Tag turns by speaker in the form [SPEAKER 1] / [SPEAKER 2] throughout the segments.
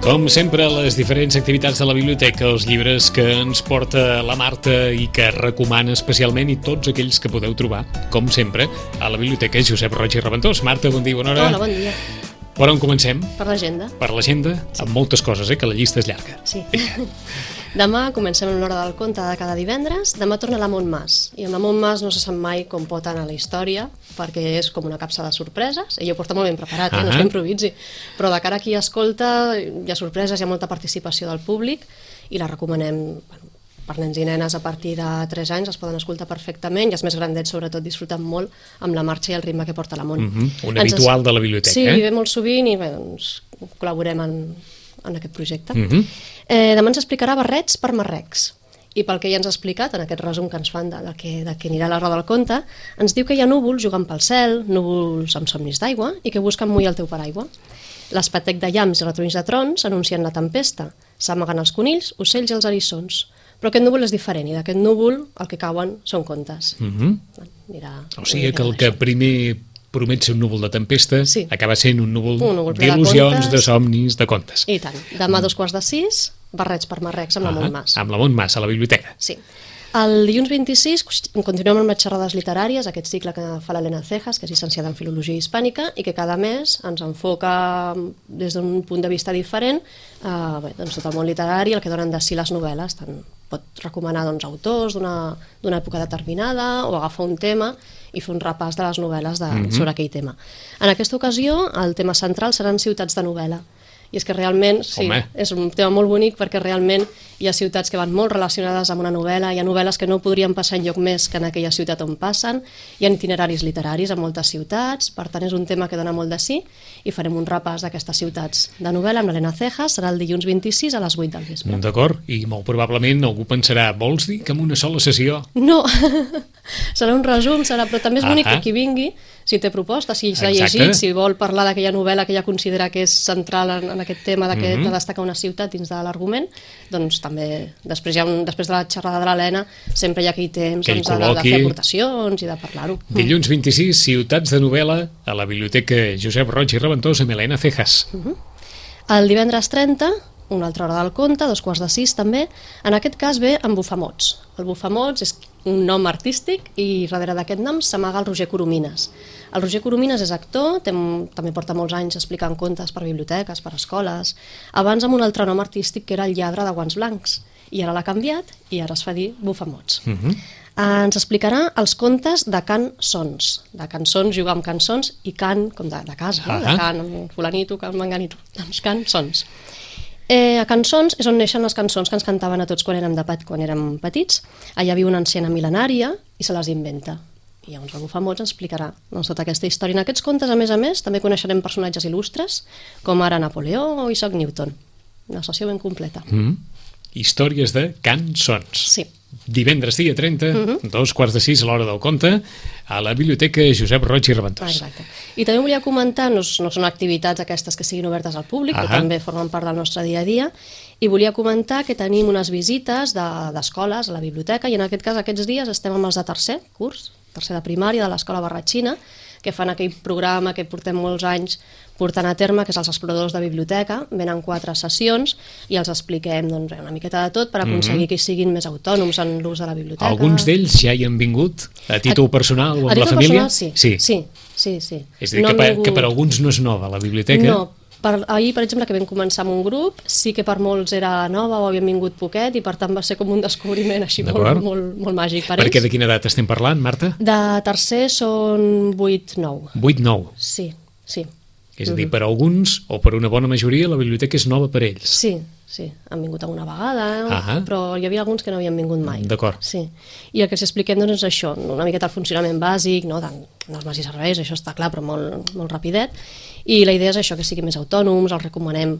[SPEAKER 1] Com sempre, les diferents activitats de la biblioteca, els llibres que ens porta la Marta i que recomana especialment, i tots aquells que podeu trobar, com sempre, a la biblioteca Josep Roig i Reventós. Marta, bon dia, bona hora.
[SPEAKER 2] Hola, bon dia.
[SPEAKER 1] Per on comencem?
[SPEAKER 2] Per l'agenda.
[SPEAKER 1] Per l'agenda, sí. Amb moltes coses, que la llista és llarga.
[SPEAKER 2] Sí. Demà comencem amb l'hora del conte de cada divendres. Demà torna la Montmàs. I amb la Montmàs no se sap mai com pot anar la història, perquè és com una capsa de sorpreses. Ella ho porta molt ben preparat, no és que improviси. Però de cara a qui escolta, hi ha sorpreses, hi ha molta participació del públic i la recomanem, per nens i nenes a partir de 3 anys es poden escoltar perfectament, i els més grandets sobretot disfruten molt amb la marxa i el ritme que porta la Mont.
[SPEAKER 1] Un habitual de la biblioteca.
[SPEAKER 2] Sí, ve molt sovint i bé, doncs, col·laborem en aquest projecte. Demà ens explicarà barrets per marrecs, i pel que ja ens ha explicat en aquest resum que ens fan de que anirà a l'hora del conte, ens diu que hi ha núvols jugant pel cel, núvols amb somnis d'aigua i que busquen mullar el teu paraigua. L'espetec de llamps i retronys de trons anuncien la tempesta, s'amaguen els conills, ocells i els eriçons. Però aquest núvol és diferent, i d'aquest núvol el que cauen són contes.
[SPEAKER 1] O sigui que el que primer promet ser un núvol de tempesta acaba sent un núvol d'il·lusions, de somnis, de contes.
[SPEAKER 2] I tant. Demà a 5:45, barrets per marrecs amb la Montmàs.
[SPEAKER 1] Amb la Montmàs, a la biblioteca.
[SPEAKER 2] Sí. El dilluns 26 continuem amb les xerrades literàries, aquest cicle que fa l'Elena Cejas, que és llicenciada en Filologia Hispànica i que cada mes ens enfoca des d'un punt de vista diferent doncs tot el món literari, el que donen de si les novel·les. Pot recomanar autors d'una època determinada o agafar un tema i fer un repàs de les novel·les sobre aquell tema. En aquesta ocasió el tema central seran ciutats de novel·la. I és que realment, sí, és un tema molt bonic perquè realment hi ha ciutats que van molt relacionades amb una novel·la, hi ha novel·les que no podrien passar enlloc més que en aquella ciutat on passen, hi ha itineraris literaris a moltes ciutats, per tant és un tema que dona molt de sí, i farem un repàs d'aquestes ciutats de novel·la amb l'Elena Cejas, serà el dilluns 26 a les 8 del vespre.
[SPEAKER 1] D'acord, i molt probablement algú pensarà, vols dir que en una sola sessió?
[SPEAKER 2] No, serà un resum, però també és bonic que qui vingui, si té propostes, si s'ha llegit, si vol parlar d'aquella novel·la que ella considera que és central en aquest tema de destacar una ciutat dins de l'argument, doncs també, després de la xerrada de l'Helena, sempre hi ha aquell temps de fer aportacions i de parlar-ho.
[SPEAKER 1] Dilluns 26, ciutats de novel·la a la biblioteca Josep Roig i Reventós amb Elena Cejas.
[SPEAKER 2] El divendres 30, una altra hora del conte, 5:45 també, en aquest cas ve amb Bufamots. El Bufamots és un nom artístic i darrere d'aquest nom s'amaga el Roger Coromines. El Roger Coromines és actor, també porta molts anys explicant contes per biblioteques, per escoles, abans amb un altre nom artístic que era el Lladre de Guants Blancs, i ara l'ha canviat i ara es fa dir Bufamots. Ens explicarà els contes de cançons. De cançons, jugar amb cançons, i cant, com de casa, de cant, fulanito, cant, manganito, doncs cançons. A Cançons és on neixen les cançons que ens cantaven a tots quan érem petits. Allà viu una anciana mil·lenària i se les inventa. I llavors el Bufamots ens explicarà tota aquesta història. En aquests contes, a més, també coneixerem personatges il·lustres, com ara Napoleó o Isaac Newton. Una sessió ben completa.
[SPEAKER 1] Històries de cançons.
[SPEAKER 2] Sí.
[SPEAKER 1] Divendres dia 30, 5:45 a l'hora del conte, a la biblioteca Josep Roig i Reventós.
[SPEAKER 2] Exacte. I també volia comentar, no són activitats aquestes que siguin obertes al públic, que també formen part del nostre dia a dia, i volia comentar que tenim unes visites d'escoles a la biblioteca, i en aquest cas aquests dies estem amb els de tercer curs, tercer de primària, de l'escola Barratxina, que fan aquell programa que portem molts anys portant a terme, que és els exploradors de biblioteca. Venen 4 sessions i els expliquem una miqueta de tot per aconseguir que siguin més autònoms en l'ús de la biblioteca.
[SPEAKER 1] Alguns d'ells ja hi han vingut a títol personal o amb la família?
[SPEAKER 2] Sí.
[SPEAKER 1] És a dir, que per alguns no és nova la biblioteca?
[SPEAKER 2] No. Ahir, per exemple, que vam començar amb un grup, sí que per molts era nova o havien vingut poquet, i per tant va ser com un descobriment així molt màgic per ells.
[SPEAKER 1] Perquè de quina edat estem parlant, Marta?
[SPEAKER 2] De tercer són 8-9.
[SPEAKER 1] 8-9?
[SPEAKER 2] Sí.
[SPEAKER 1] És a dir, per alguns, o per una bona majoria, la biblioteca és nova per ells.
[SPEAKER 2] Sí, han vingut alguna vegada, però hi havia alguns que no havien vingut mai.
[SPEAKER 1] D'acord.
[SPEAKER 2] Sí. I el que els expliquem és això, una miqueta el funcionament bàsic, normes i serveis, això està clar, però molt rapidet, i la idea és això, que siguin més autònoms, els recomanem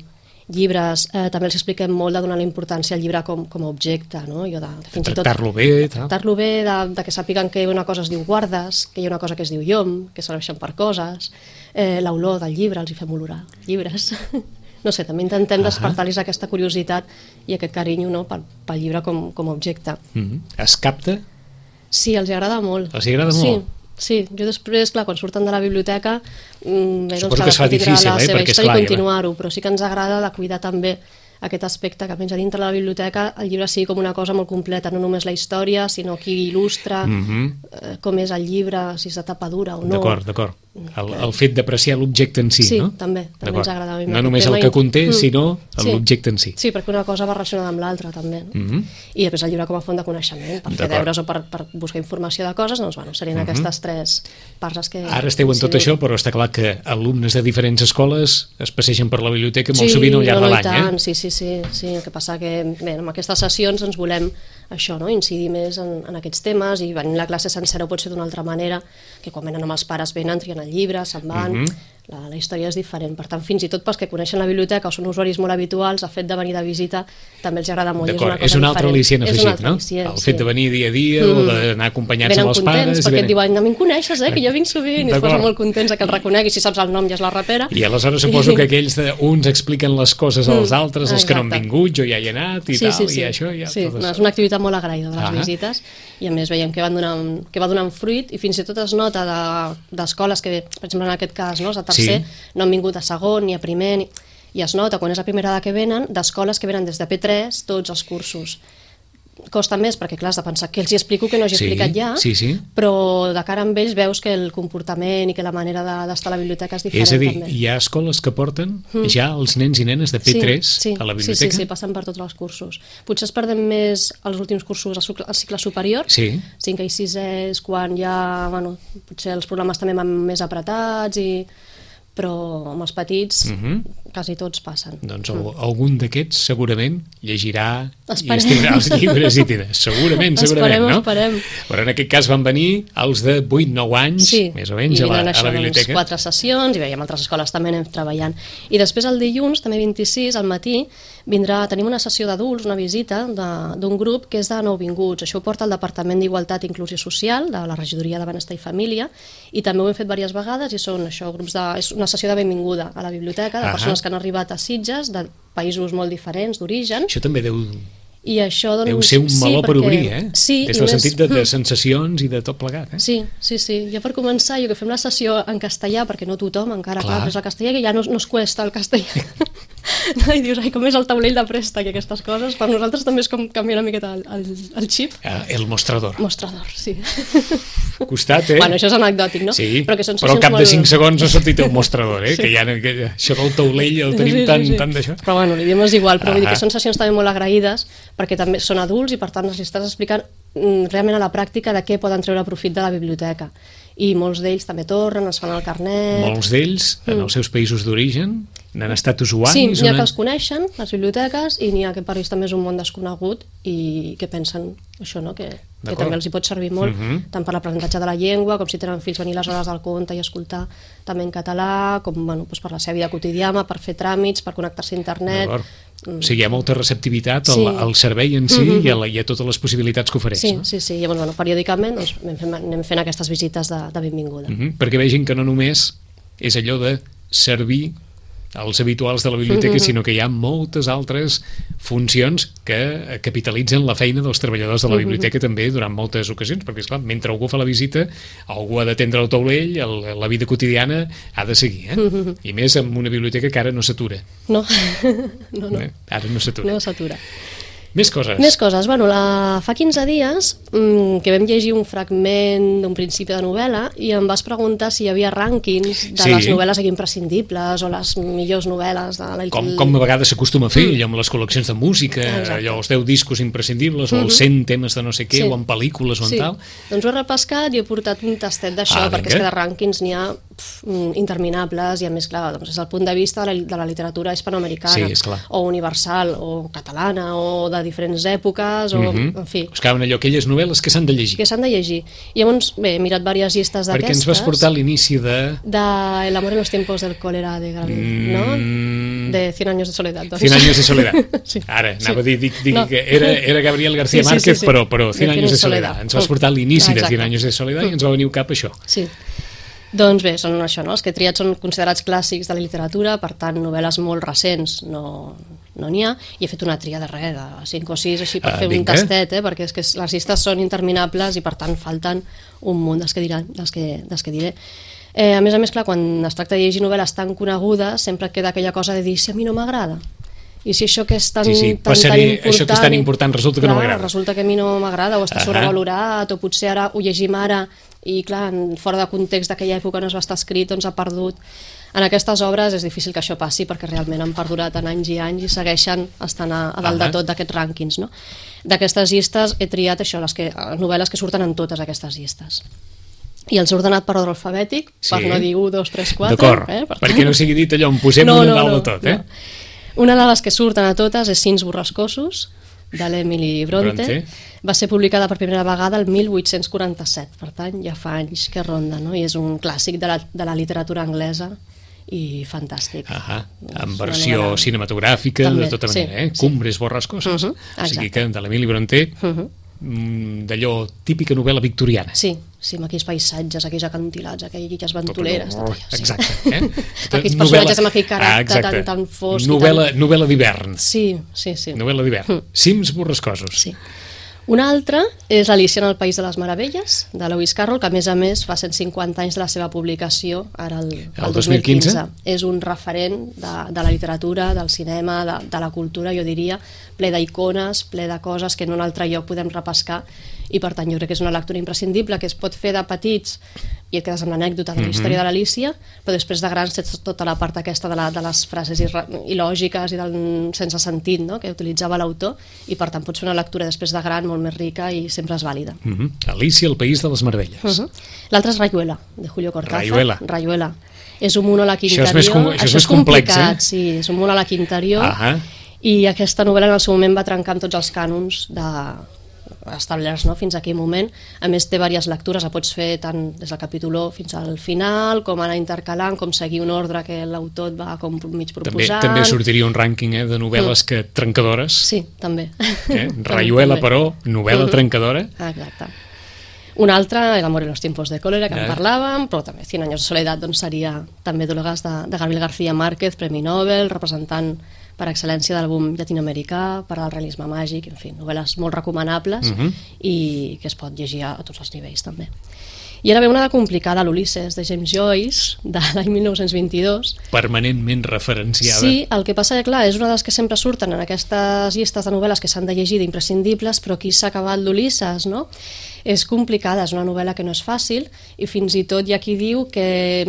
[SPEAKER 2] llibres, també els expliquem molt de donar la importància al llibre com a objecte, no?
[SPEAKER 1] Tractar-lo bé,
[SPEAKER 2] tractar-lo bé, de que sàpiguen que una cosa es diu guardes, que hi ha una cosa que es diu llom, que serveixen per coses, l'olor del llibre, els hi fem olorar llibres. No sé, també intentem despertar-los aquesta curiositat i aquest carinyo pel llibre com a objecte.
[SPEAKER 1] Es capta?
[SPEAKER 2] Sí, els agrada molt.
[SPEAKER 1] Els agrada molt?
[SPEAKER 2] Sí. Sí, jo després, clar, quan surten de la biblioteca,
[SPEAKER 1] suposo que es fa difícil,
[SPEAKER 2] la seva
[SPEAKER 1] perquè,
[SPEAKER 2] història
[SPEAKER 1] esclar,
[SPEAKER 2] i continuar-ho, però sí que ens agrada de cuidar també aquest aspecte, que menys a dintre de la biblioteca el llibre sigui com una cosa molt completa, no només la història, sinó qui il·lustra, com és el llibre, si és de tapa dura o no.
[SPEAKER 1] D'acord. El fet d'apreciar l'objecte en si, no?
[SPEAKER 2] Sí, també ens agrada.
[SPEAKER 1] No només el que conté, sinó l'objecte en si.
[SPEAKER 2] Sí, perquè una cosa va relacionada amb l'altra, també. I després el llibre com a font de coneixement, per fer deures o per buscar informació de coses, doncs, bueno, serien aquestes tres parts les que...
[SPEAKER 1] Ara esteu en tot això, però està clar que alumnes de diferents escoles es passegen per la biblioteca molt sovint al llarg de l'any,
[SPEAKER 2] Sí. El que passa que, bé, amb aquestes sessions ens volem això, no? Incidir més en aquests temes, i venir la classe sencera pot ser d'una altra manera, que quan venen amb els pares venen, trien el llibre, se'n van, la història és diferent. Per tant, fins i tot pels que coneixen la biblioteca o són usuaris molt habituals, el fet de venir de visita també els agrada molt.
[SPEAKER 1] D'acord, és un altre al·licient afegit, no? El fet de venir dia a dia o d'anar acompanyats amb els pares.
[SPEAKER 2] Perquè et diuen, a mi em coneixes, que jo vinc sovint, i es posen molt contents que el reconeguis, si saps el nom ja és la rapera.
[SPEAKER 1] I aleshores suposo que aquells uns expliquen les coses als altres, els que no han vingut, jo ja hi he anat i tal, i això.
[SPEAKER 2] Sí, és una activitat molt agraïda de les visites, i a més veiem que va donant fruit, i fins i tot es nota d'escoles que, per exemple, en aquest cas, a tercer, no han vingut a segon ni a primer, i es nota quan és la primera que venen, d'escoles que venen des de P3 tots els cursos. Costa més perquè, clar, has de pensar que els hi explico que no hagi explicat ja, però de cara amb ells veus que el comportament i que la manera d'estar a la biblioteca és diferent.
[SPEAKER 1] És a dir, hi ha escoles que porten ja els nens i nenes de P3 a la biblioteca?
[SPEAKER 2] Sí, passen per tots els cursos. Potser es perden més els últims cursos al cicle superior, 5è i 6è és quan ja, potser els programes també van més apretats, però amb els petits quasi tots passen.
[SPEAKER 1] Doncs algun d'aquests segurament llegirà i estirarà els llibres i tindrà. Segurament, no?
[SPEAKER 2] Esperem.
[SPEAKER 1] Però en aquest cas van venir els de 8-9 anys, més o menys, a la biblioteca.
[SPEAKER 2] I 4 sessions, i veiem altres escoles també anem treballant. I després el dilluns, també 26, al matí, tenim una sessió d'adults, una visita d'un grup que és de nouvinguts. Això ho porta el Departament d'Igualtat i Inclusió Social de la Regidoria de Benestar i Família, i també ho hem fet diverses vegades, i són això, és una sessió de benvinguda a la biblioteca, de persones que han arribat a Sitges, de països molt diferents d'origen.
[SPEAKER 1] Això també deu
[SPEAKER 2] Deu
[SPEAKER 1] ser un meló per obrir, des del sentit de sensacions i de tot plegat.
[SPEAKER 2] Sí. Ja per començar, jo que fem la sessió en castellà, perquè no tothom encara és el castellà, que ja no es cuesta el castellà. I dius, com és el taulell de préstec i aquestes coses, per nosaltres també és com canviar una miqueta el xip.
[SPEAKER 1] El mostrador.
[SPEAKER 2] Mostrador, sí.
[SPEAKER 1] Costat,
[SPEAKER 2] Bueno, això és anecdòtic, no?
[SPEAKER 1] Sí, però al cap de 5 segons ha sortit el mostrador, que ja això del taulell el tenim tan d'això.
[SPEAKER 2] Però bueno, l'idioma és igual, però vull dir que són sessions també molt agraïdes, perquè també són adults i per tant els estàs explicant realment a la pràctica de què poden treure profit de la biblioteca. I molts d'ells també tornen, es fan el carnet...
[SPEAKER 1] Molts d'ells, en els seus països d'origen, n'han estat usuaris?
[SPEAKER 2] Sí, n'hi ha que els coneixen, les biblioteques, i n'hi ha que per ells també és un món desconegut i que pensen això, que també els hi pot servir molt, tant per l'aprenentatge de la llengua, com si tenen fills venir les hores del conte i escoltar també en català, com per la seva vida quotidiana, per fer tràmits, per connectar-se a internet...
[SPEAKER 1] O sigui, hi ha molta receptivitat al servei en si i a totes les possibilitats que ofereix.
[SPEAKER 2] Sí. Llavors, periòdicament anem fent aquestes visites de benvinguda.
[SPEAKER 1] Perquè vegin que no només és allò de servir els habituals de la biblioteca, sinó que hi ha moltes altres funcions que capitalitzen la feina dels treballadors de la biblioteca també durant moltes ocasions, perquè esclar, mentre algú fa la visita, algú ha d'atendre el taulell, la vida quotidiana ha de seguir, i més amb una biblioteca que ara no s'atura.
[SPEAKER 2] No.
[SPEAKER 1] Ara no s'atura.
[SPEAKER 2] No s'atura.
[SPEAKER 1] Més coses.
[SPEAKER 2] Bueno, fa 15 dies que vam llegir un fragment d'un principi de novel·la i em vas preguntar si hi havia rànquings de les novel·les imprescindibles o les millors novel·les de la...
[SPEAKER 1] Com a vegades s'acostuma a fer, allò amb les col·leccions de música, allò els 10 discos imprescindibles o els 100 temes de no sé què, o en pel·lícules o en tal.
[SPEAKER 2] Doncs ho he repescat i he portat un tastet d'això, perquè és que de rànquings n'hi ha interminables i a més, clar, és el punt de vista de la literatura hispanoamericana o universal o catalana o de diferents èpoques o, en fi...
[SPEAKER 1] Buscaven aquelles novel·les que s'han de llegir.
[SPEAKER 2] I llavors, he mirat diverses llistes d'aquestes...
[SPEAKER 1] Perquè ens vas portar l'inici de...
[SPEAKER 2] De El amor en los tiempos del cólera de Gabriel, ¿no? De 100 años de soledad.
[SPEAKER 1] 100 años de soledad. Ara, anava a dir que era Gabriel García Márquez, però 100 años de soledad. Ens vas portar l'inici de 100 años de soledad i ens va venir cap això.
[SPEAKER 2] Sí. Doncs bé, són això, no? Els que he triat són considerats clàssics de la literatura, per tant, novel·les molt recents no n'hi ha, i he fet una tria de res, de 5 o 6, així per fer un tastet, perquè és que les llistes són interminables i per tant falten un munt dels que diré. A més, clar, quan es tracta de llegir novel·les tan conegudes, sempre queda aquella cosa de dir si a mi no m'agrada. I si això que és tan important...
[SPEAKER 1] Això que és tan important resulta que no m'agrada.
[SPEAKER 2] Resulta que a mi no m'agrada, o està sobrevalorat, o potser ara ho llegim ara i, clar, fora de context d'aquella època no es va estar escrit, doncs ha perdut. En aquestes obres és difícil que això passi perquè realment han perdurat en anys i anys i segueixen estant a dalt de tot d'aquests rànquings, no? D'aquestes llistes he triat això, les novel·les que surten en totes aquestes llistes. I els he ordenat per ordre alfabètic, per no dir 1, 2, 3, 4...
[SPEAKER 1] D'acord, perquè no sigui dit allò, en posem una dalt de tot,
[SPEAKER 2] Una de les que surten a totes és Cims borrascosos, de l'Emily Bronte. Va ser publicada per primera vegada el 1847, per tant ja fa anys que ronda, no? I és un clàssic de la literatura anglesa i fantàstic.
[SPEAKER 1] En versió cinematogràfica, de tota manera, Cumbres borrascoses. O sigui que de l'Emily Bronte... d'allò típica novel·la victoriana.
[SPEAKER 2] Sí, amb aquells paisatges, aquells acantilats, aquelles ventoleres.
[SPEAKER 1] Exacte.
[SPEAKER 2] Aquells personatges amb aquell caràcter tan fosc.
[SPEAKER 1] Novel·la d'hivern.
[SPEAKER 2] Sí.
[SPEAKER 1] Novel·la d'hivern. Cims borrascosos.
[SPEAKER 2] Sí. Una altra és Alicia en el País de les Meravelles, de Lewis Carroll, que a més fa 150 anys de la seva publicació, ara el 2015. És un referent de la literatura, del cinema, de la cultura, jo diria, ple d'icones, ple de coses que en un altre lloc podem repescar, i per tant jo crec que és una lectura imprescindible que es pot fer de petits i et quedes amb l'anècdota de la història de l'Alicia, però després de grans tens tota la part aquesta de les frases il·lògiques i del sense sentit, no?, que utilitzava l'autor, i per tant pots fer una lectura després de gran molt més rica i sempre és vàlida.
[SPEAKER 1] Alicia, el País de les Meravelles.
[SPEAKER 2] L'altra és Rayuela, de Julio Cortázar. Rayuela. És un monòleg interior.
[SPEAKER 1] Això és complicat,
[SPEAKER 2] sí, és un monòleg interior, i aquesta novel·la en el seu moment va trencar amb tots els cànons establerts, no?, fins a aquell moment. A més té diverses lectures, la pots fer tant des del capítol 1 fins al final, com anar intercalant, com seguir un ordre que l'autor et va com mig proposant.
[SPEAKER 1] També sortiria un rànquing de novel·les trencadores.
[SPEAKER 2] Sí, també.
[SPEAKER 1] Rayuela, però, novel·la trencadora.
[SPEAKER 2] Exacte. Una altra, El amor en los tiempos de cólera, que en parlàvem, però també 100 años de soledad seria també Dolores de Gabriel García Márquez, Premi Nobel, representant per excel·lència del boom llatinoamericà, per al realisme màgic, en fi, novel·les molt recomanables i que es pot llegir a tots els nivells també. I ara ve una de complicada, l'Ulisses, de James Joyce, de l'any 1922.
[SPEAKER 1] Permanentment referenciada.
[SPEAKER 2] Sí, el que passa que, clar, és una de les que sempre surten en aquestes llistes de novel·les que s'han de llegir d'imprescindibles, però aquí s'ha acabat l'Ulisses, no? És complicada, és una novel·la que no és fàcil, i fins i tot hi ha qui diu que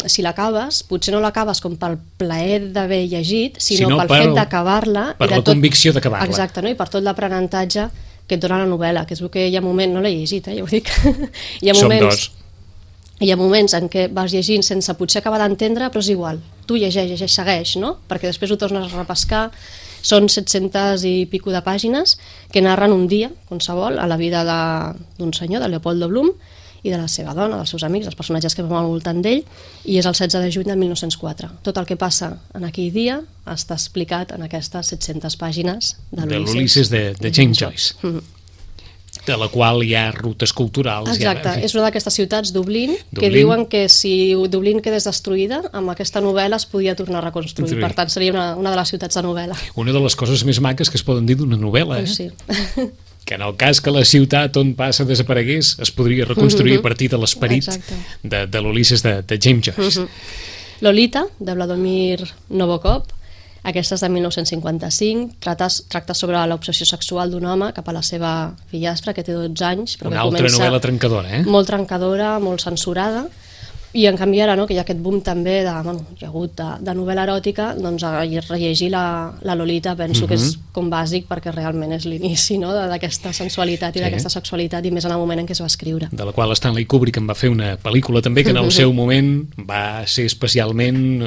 [SPEAKER 2] si l'acabes, potser no l'acabes com pel plaer d'haver llegit, sinó pel fet d'acabar-la.
[SPEAKER 1] Per la convicció d'acabar-la.
[SPEAKER 2] Exacte, no? I per tot l'aprenentatge que et dona la novel·la, que es veu que hi ha moments, no l'he llegit, ja ho dic, hi ha moments en què vas llegint sense potser acabar d'entendre, però és igual, tu llegeix, segueix, no? Perquè després ho tornes a repescar. Són 700 i pico de pàgines que narren un dia, qualsevol, a la vida d'un senyor, de Leopoldo Bloom, i de la seva dona, dels seus amics, els personatges que van al voltant d'ell, i és el 16 de juny de 1904. Tot el que passa en aquell dia està explicat en aquestes 700 pàgines de
[SPEAKER 1] l'Ulisses de James Joyce, de la qual hi ha rutes culturals.
[SPEAKER 2] Exacte, és una d'aquestes ciutats, Dublín, que diuen que si Dublín quedés destruïda, amb aquesta novel·la es podia tornar a reconstruir. Per tant, seria una de les ciutats de novel·la.
[SPEAKER 1] Una de les coses més maques que es poden dir d'una novel·la,
[SPEAKER 2] Sí.
[SPEAKER 1] Que en el cas que la ciutat on passa desaparegués es podria reconstruir a partir de l'esperit de l'Ulisses de James Joyce.
[SPEAKER 2] Lolita, de Vladimir Nabokov, aquesta és de 1955, tracta sobre l'obsessió sexual d'un home cap a la seva fillastra, que té 12 anys.
[SPEAKER 1] Una altra novel·la trencadora,
[SPEAKER 2] Molt trencadora, molt censurada, i en canvi ara, que hi ha aquest boom també hi ha hagut de novel·la eròtica, doncs rellegir la Lolita penso que és com bàsic, perquè realment és l'inici d'aquesta sensualitat i d'aquesta sexualitat, i més en el moment en què es va escriure.
[SPEAKER 1] De la qual Stanley Kubrick en va fer una pel·lícula també que en el seu moment va ser especialment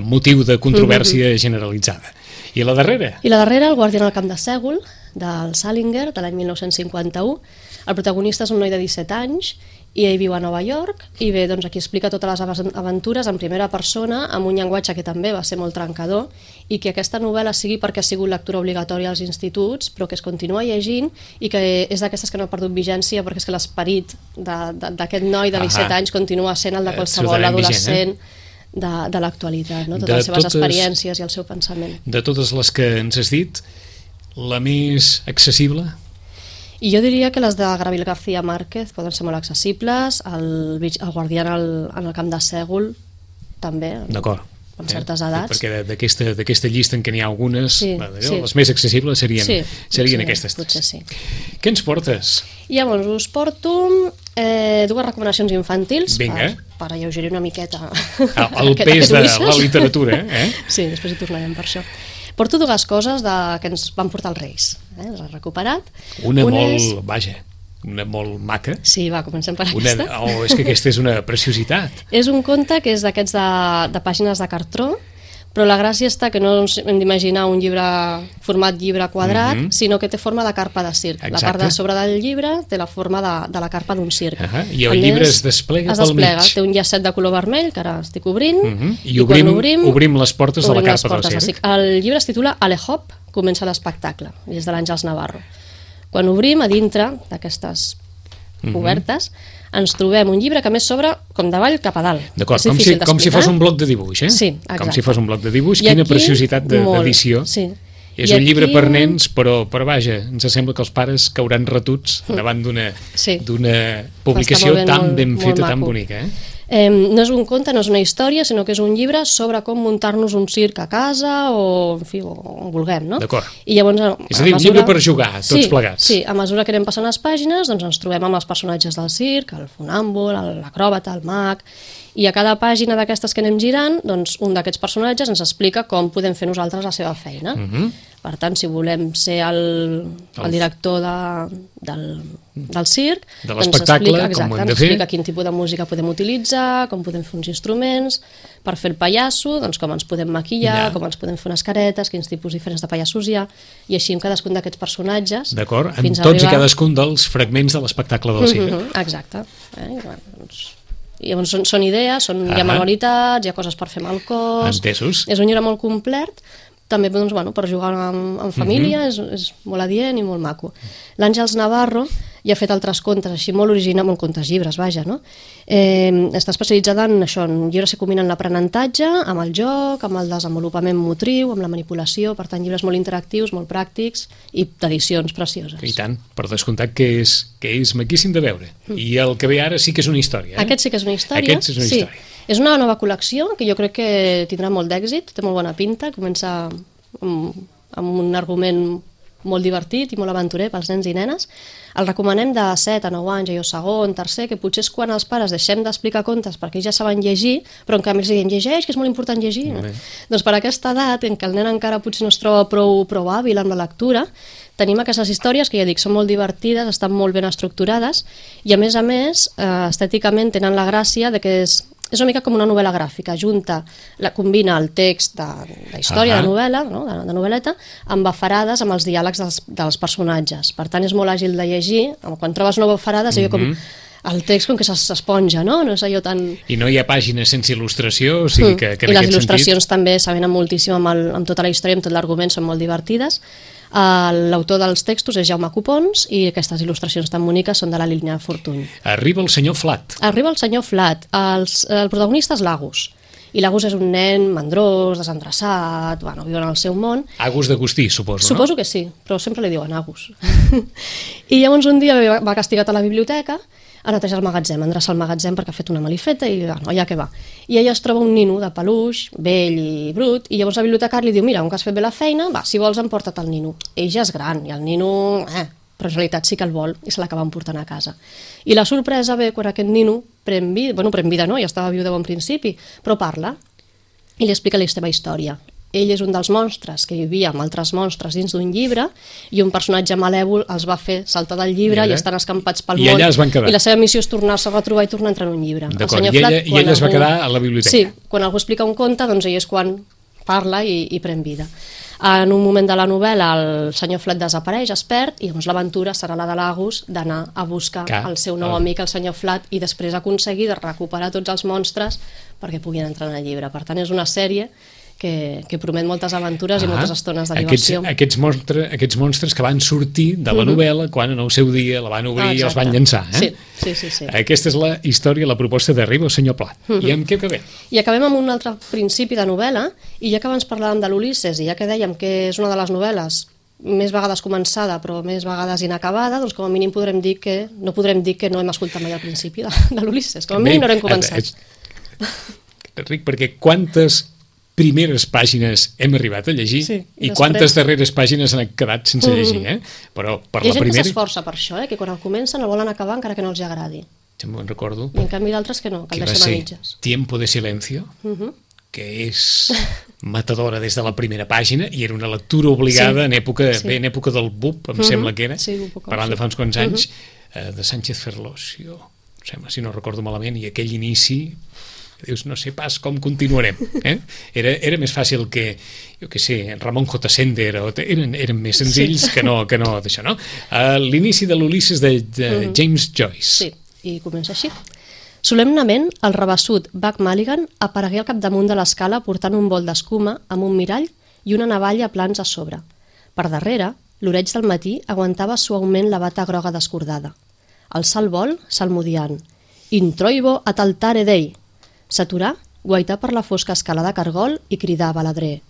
[SPEAKER 1] motiu de controvèrsia generalitzada. I la darrera?
[SPEAKER 2] I la darrera, El guardià al camp de Sègol, del Salinger, de l'any 1951. El protagonista és un noi de 17 anys i ell viu a Nova York, i bé, doncs aquí explica totes les aventures en primera persona, amb un llenguatge que també va ser molt trencador, i que aquesta novel·la sigui perquè ha sigut lectura obligatòria als instituts, però que es continua llegint, i que és d'aquestes que no ha perdut vigència, perquè és que l'esperit d'aquest noi de 17 anys continua sent el de qualsevol adolescent de l'actualitat, no? Totes les seves experiències i el seu pensament.
[SPEAKER 1] De totes les que ens has dit, la més accessible?
[SPEAKER 2] I jo diria que les de Gabriel García Márquez poden ser molt accessibles, el Guardián en el camp de Sègol també, amb certes edats.
[SPEAKER 1] Perquè d'aquesta llista en què n'hi ha algunes, les més accessibles serien aquestes.
[SPEAKER 2] Potser sí.
[SPEAKER 1] Què ens portes?
[SPEAKER 2] Llavors us porto dues recomanacions infantils per alleugerir una miqueta
[SPEAKER 1] el pes de la literatura.
[SPEAKER 2] Sí, després hi tornarem per això. Porto dues coses que ens van portar els Reis, les he recuperat.
[SPEAKER 1] Una molt maca.
[SPEAKER 2] Sí, va, comencem per aquesta.
[SPEAKER 1] És que aquesta és una preciositat.
[SPEAKER 2] És un conte que és d'aquests de pàgines de cartró, però la gràcia està que no ens hem d'imaginar un llibre format llibre quadrat, sinó que té forma de carpa de circ. La part de sobre del llibre té la forma de la carpa d'un circ.
[SPEAKER 1] I el llibre es desplega pel mig.
[SPEAKER 2] Té un llacet de color vermell, que ara estic obrint,
[SPEAKER 1] i obrim les portes de la carpa del circ.
[SPEAKER 2] El llibre es titula Ale Hop, comença l'espectacle, i és de l'Àngels Navarro. Quan obrim, a dintre d'aquestes obertes, ens trobem un llibre que a més s'obre com davall cap a dalt.
[SPEAKER 1] D'acord, com si fos un bloc de dibuix,
[SPEAKER 2] Sí, exacte.
[SPEAKER 1] Com si fos un bloc de dibuix, quina preciositat d'edició.
[SPEAKER 2] Sí.
[SPEAKER 1] És un llibre per nens, però vaja, ens sembla que els pares cauran retuts davant d'una publicació tan ben feta, tan bonica.
[SPEAKER 2] No és un conte, no és una història, sinó que és un llibre sobre com muntar-nos un circ a casa o, en fi, on vulguem, no?
[SPEAKER 1] D'acord.
[SPEAKER 2] És
[SPEAKER 1] a dir, un llibre per jugar, tots plegats.
[SPEAKER 2] Sí, a mesura que anem passant les pàgines, doncs ens trobem amb els personatges del circ, el fonàmbul, l'acròbata, el mag, i a cada pàgina d'aquestes que anem girant, doncs un d'aquests personatges ens explica com podem fer nosaltres la seva feina. Per tant, si volem ser el director del circ,
[SPEAKER 1] de l'espectacle, com ho hem de fer,
[SPEAKER 2] ens explica quin tipus de música podem utilitzar, com podem fer uns instruments, per fer el pallasso, doncs com ens podem maquillar, com ens podem fer unes caretes, quins tipus diferents de pallassos hi ha, i així amb cadascun d'aquests personatges.
[SPEAKER 1] D'acord, amb tots i cadascun dels fragments de l'espectacle del circ.
[SPEAKER 2] Exacte. I llavors són idees, hi ha manualitats, hi ha coses per fer amb el cos.
[SPEAKER 1] Entesos.
[SPEAKER 2] És un llibre molt complet, també per jugar amb família, és molt adient i molt maco. L'Àngels Navarro ja ha fet altres contes així molt originals, molt contes llibres, vaja, no? Està especialitzada en això, en llibres que combinen l'aprenentatge, amb el joc, amb el desenvolupament motriu, amb la manipulació, per tant, llibres molt interactius, molt pràctics i d'edicions precioses.
[SPEAKER 1] I tant, per descomptat que és maquíssim de veure. I el que ve ara sí que és una història.
[SPEAKER 2] Aquest sí que és una història.
[SPEAKER 1] Sí.
[SPEAKER 2] És una nova col·lecció que jo crec que tindrà molt d'èxit, té molt bona pinta, comença amb un argument molt divertit i molt aventurer pels nens i nenes. El recomanem de 7 a 9 anys, segon, tercer, que potser és quan els pares deixem d'explicar contes perquè ja saben llegir, però en canvi els diuen llegeix, que és molt important llegir. Doncs per aquesta edat, en què el nen encara potser no es troba prou hàbil amb la lectura, tenim aquestes històries que ja dic, són molt divertides, estan molt ben estructurades i a més, estèticament tenen la gràcia de que és una mica com una novel·la gràfica, combina el text de història, de novel·la, de novel·leta, amb bafarades, amb els diàlegs dels personatges. Per tant, és molt àgil de llegir. Quan trobes noves bafarades, com el text com que s'esponja, no? No és allò tan...
[SPEAKER 1] I no hi ha pàgines sense il·lustració, o sigui que en aquest sentit...
[SPEAKER 2] I les il·lustracions també s'avenen moltíssim amb tota la història, amb tot l'argument, són molt divertides. L'autor dels textos és Jaume Copons i aquestes il·lustracions tan boniques són de la Línia Fortuny.
[SPEAKER 1] Arriba el senyor Flat.
[SPEAKER 2] El protagonista és l'Agus. I l'Agus és un nen mandrós, desendreçat, viu en el seu món.
[SPEAKER 1] Agus d'Agustí, suposo, no?
[SPEAKER 2] Suposo que sí, però sempre li diuen Agus. I llavors un dia va castigat a la biblioteca a netejar el magatzem, endreçar el magatzem perquè ha fet una malifeta i allà que va. I ella es troba un nino de peluix, vell i brut, i llavors la bibliotecària li diu, mira, que has fet bé la feina, si vols emporta't el nino. Ell ja és gran i el nino, però en realitat sí que el vol i se l'acaba emportant a casa. I la sorpresa ve quan aquest nino pren vida, no, ja estava viu de bon principi, però parla i li explica la seva història. Ell és un dels monstres que vivia amb altres monstres dins d'un llibre i un personatge malèvol els va fer saltar del llibre i estan escampats pel món.
[SPEAKER 1] I allà es van quedar.
[SPEAKER 2] I la seva missió és tornar-se a retrobar i tornar a entrar en un llibre.
[SPEAKER 1] D'acord, i ella es va quedar a la biblioteca.
[SPEAKER 2] Sí, quan algú explica un conte, doncs ell és quan parla i pren vida. En un moment de la novel·la el senyor Flat desapareix, es perd, i llavors l'aventura serà la de l'Agus d'anar a buscar el seu nou amic, el senyor Flat, i després aconseguir de recuperar tots els monstres perquè puguin entrar en el llibre. Per tant, és una sèrie que promet moltes aventures i moltes estones de diversió.
[SPEAKER 1] Aquests monstres que van sortir de la novel·la quan en el seu dia la van obrir i els van llançar.
[SPEAKER 2] Sí.
[SPEAKER 1] Aquesta és la història, la proposta d'Arriba el senyor Plat. I amb què acabem?
[SPEAKER 2] I acabem amb un altre principi de novel·la, i ja que abans parlàvem de l'Ulisses i ja que dèiem que és una de les novel·les més vegades començada però més vegades inacabada, doncs com a mínim no podrem dir que no hem escoltat mai al principi de l'Ulisses, com a mínim no l'hem començat.
[SPEAKER 1] Ric, perquè quantes primeres pàgines hem arribat a llegir i quantes darreres pàgines han quedat sense llegir, però per la primera...
[SPEAKER 2] Hi ha gent que s'esforça per això, que quan el comencen el volen acabar encara que no els agradi.
[SPEAKER 1] Ja me'n recordo.
[SPEAKER 2] I en canvi d'altres que no, que el deixen a mitges.
[SPEAKER 1] Tiempo de silencio, que és matadora des de la primera pàgina i era una lectura obligada en època del BUP, em sembla que era, parlant de fa uns quants anys, de Sánchez Ferlosio, si no recordo malament, i aquell inici... Dius, no sé pas com continuarem. Era més fàcil que, jo què sé, Ramon J. Sender, eren més senzills que no d'això, no? L'inici de l'Ulisses de James Joyce.
[SPEAKER 2] Sí, i comença així. Solemnement, el rabassut Buck Mulligan aparegué al capdamunt de l'escala portant un bol d'escuma amb un mirall i una navalla a plans a sobre. Per darrere, l'oreig del matí aguantava suaument la bata groga descordada. Alçà el bol, salmodiant. Introibo at altare Dei. S'aturà, guaità per la fosca escala de cargol i cridà a baladrer: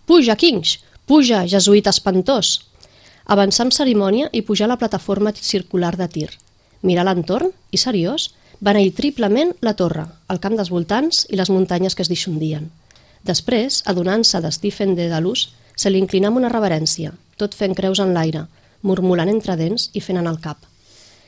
[SPEAKER 2] «Puja, Kings! Puja, jesuïta espantós!» Avançà amb cerimònia i pujà a la plataforma circular de tir. Mirà l'entorn i, seriós, beneí triplement la torre, el camp dels voltants i les muntanyes que es disjundien. Després, adonant-se de Stephen Dedalus, se li inclinà amb una reverència, tot fent creus en l'aire, murmulant entre dents i fent en el cap.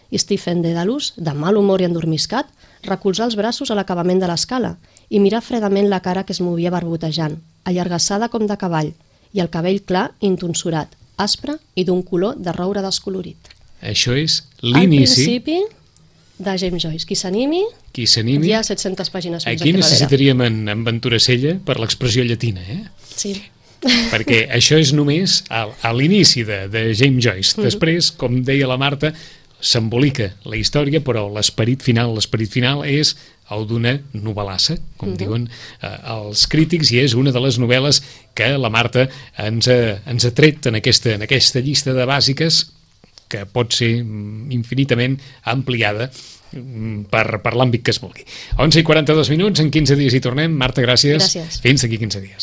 [SPEAKER 2] I Stephen Dedalus, de mal humor i endormiscat, recolzà els braços a l'acabament de l'escala i mirà fredament la cara que es movia barbotejant, allargassada com de cavall, i el cabell clar i intonsurat, aspre i d'un color de roure descolorit.
[SPEAKER 1] Això és l'inici...
[SPEAKER 2] El principi de James Joyce. Qui s'animi, hi ha 700 pàgines més.
[SPEAKER 1] Aquí necessitaríem en Ventura Sella per l'expressió llatina,
[SPEAKER 2] Sí.
[SPEAKER 1] Perquè això és només a l'inici de James Joyce. Després, com deia la Marta, s'embolica la història, però l'esperit final és el d'una novel·lassa, com diuen els crítics, i és una de les novel·les que la Marta ens ha tret en aquesta llista de bàsiques que pot ser infinitament ampliada per l'àmbit que es vulgui. 11:42, en 15 dies hi tornem. Marta, gràcies.
[SPEAKER 2] Gràcies.
[SPEAKER 1] Fins d'aquí 15 dies.